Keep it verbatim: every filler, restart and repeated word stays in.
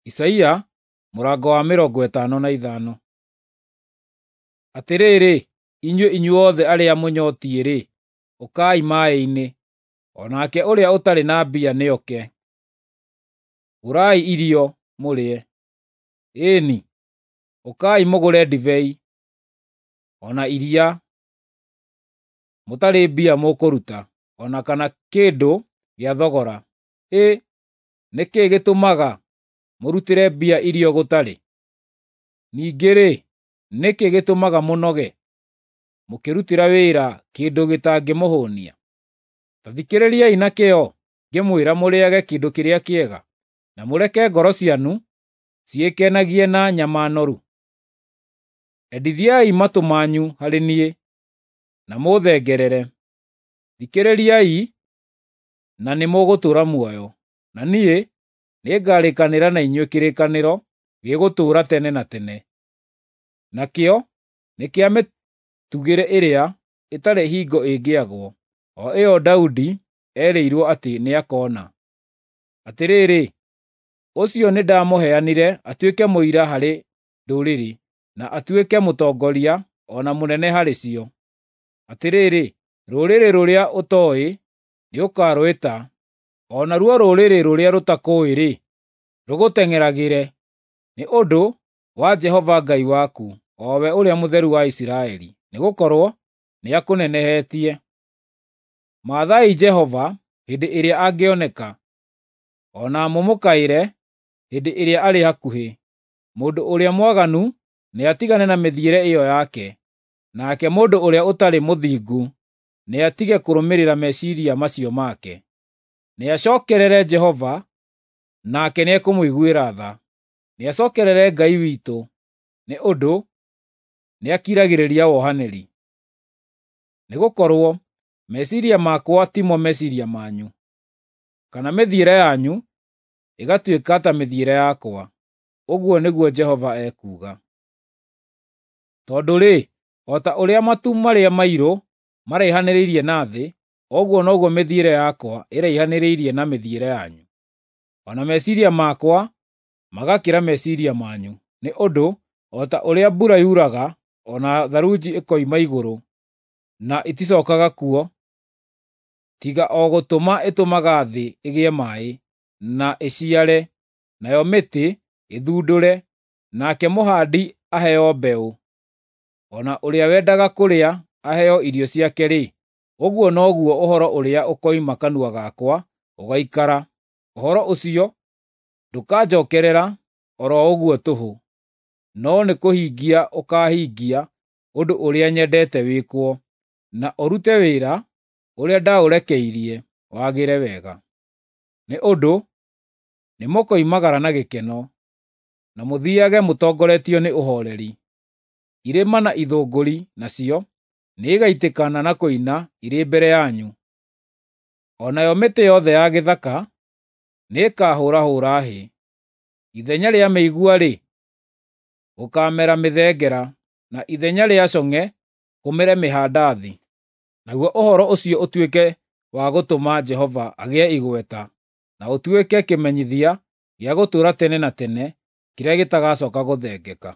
Isaia mũrango wa mĩrongo ĩtano na ithano. Atĩrĩrĩ, inyuĩ inyuothe arĩa mũnyotiĩ-rĩ, ũkai maaĩ-inĩ, o nake ũrĩa ũtarĩ na mbia nĩoke. Gũrai irio, mũrĩe; ĩĩ-ni, ũkai mũgũre ndibei, o na iria, mũtarĩ mbia mũkũruta, o na kana kĩndũ gĩa thogora. Hĩ, nĩ kĩĩ gĩtũmaga mũrutĩre mbia irio gũtarĩ? Ningĩ-rĩ, nĩ kĩĩ gĩtũmaga mũnoge, mũkĩrutĩra wĩra kĩndũ gĩtangĩmũhũnia? Ta thikĩrĩriai na kĩyo ngĩmwĩra mũrĩage kĩndũ kĩrĩa kĩega, na mũreke ngoro cianyu ciĩkenagie na nyama noru. Endithiai matũ manyu harĩ niĩ, na mũũthengerere; thikĩrĩriai, na nĩmũgũtũũra muoyo, na niĩ nĩngarĩkanĩra na inyuĩ kĩrĩkanĩro gĩgũtũũra tene na tene, nakĩo nĩ kĩa mĩtugĩre ĩrĩa ĩtarĩ hingo ĩngĩagwo, o ĩyo Daudi erĩirwo atĩ nĩakona. Atĩrĩrĩ, ũcio nĩndamũheanire atuĩke mũira harĩ ndũrĩrĩ, na atuĩke mũtongoria o na mũnene harĩ cio. Atĩrĩrĩ, rũrĩrĩ rũrĩa ũtooĩ nĩũkarwĩta, o naruo rũrĩrĩ rũrĩa rũtakũũĩ-rĩ, rũgũteng'eragĩre, nĩ ũndũ wa Jehova Ngai waku, o we Ũrĩa Mũtheru wa Isiraeli, nĩgũkorwo nĩakũnenehetie. Mathaai Jehova hĩndĩ ĩrĩa angĩoneka, o na mũmũkaĩre hĩndĩ ĩrĩa arĩ hakuhĩ. Mũndũ ũrĩa mwaganu nĩatigane na mĩthiĩre ĩyo yake, nake mũndũ ũrĩa ũtarĩ mũthingu nĩatige kũrũmĩrĩra meciiria macio make. Nĩacookerere Jehova, nake nĩekũmũiguĩra tha; nĩacookerere Ngai witũ, nĩ ũndũ nĩakiragĩrĩria wohanĩri. Nĩgũkorwo meciiria makwa timo meciiria manyu, kana mĩthiĩre yanyu ĩgatuĩka ta mĩthiĩre yakwa,” ũguo nĩguo Jehova ekuuga. Tondũ-rĩ, o ta ũrĩa matu marĩa mairũ maraihanĩrĩirie na thĩ, ũguo noguo mĩthiĩre yakwa ĩraihanĩrĩirie na mĩthiĩre yanyu, o na meciiria makwa magakĩra meciiria manyu. Nĩ ũndũ o ta ũrĩa mbura yuraga o na tharunji ĩkoima igũrũ, na ĩticookaga kuo, tiga o gũtũma ĩtũmaga thĩ ĩgĩe maaĩ, na ĩciare, nayo mĩtĩ ĩthundũre, nake mũhaandi aheo mbeũ, o na ũrĩa wendaga kũrĩa aheo irio ciake-rĩ, ũguo noguo ũhoro ũrĩa ũkoima kanua gakwa ũgaikara. Ũhoro ũcio ndũkanjookerera o ro ũguo tũhũ, no nĩkũhingia ũkaahingia ũndũ ũrĩa nyendete wĩkwo, na ũrute wĩra ũrĩa ndaũrekeirie wagĩre wega. Nĩ ũndũ nĩmũkoimagara na gĩkeno, na mũthiiage mũtongoretio nĩ ũhooreri. Irĩma na ithũngũri nacio nĩigaitĩkana na kũina irĩ mbere yanyu, o nayo mĩtĩ yothe ya gĩthaka nĩĩkahũrahũra hĩ. Ithenya rĩa mĩigua-rĩ, gũkaamera mĩthengera, na ithenya rĩa cong'e kũmere mĩhandathi. Naguo ũhoro ũcio ũtuĩke wa gũtũma Jehova agĩe igweta, na ũtuĩke kĩmenyithia gĩa gũtũũra tene na tene kĩrĩa gĩtagacooka gũthengeka.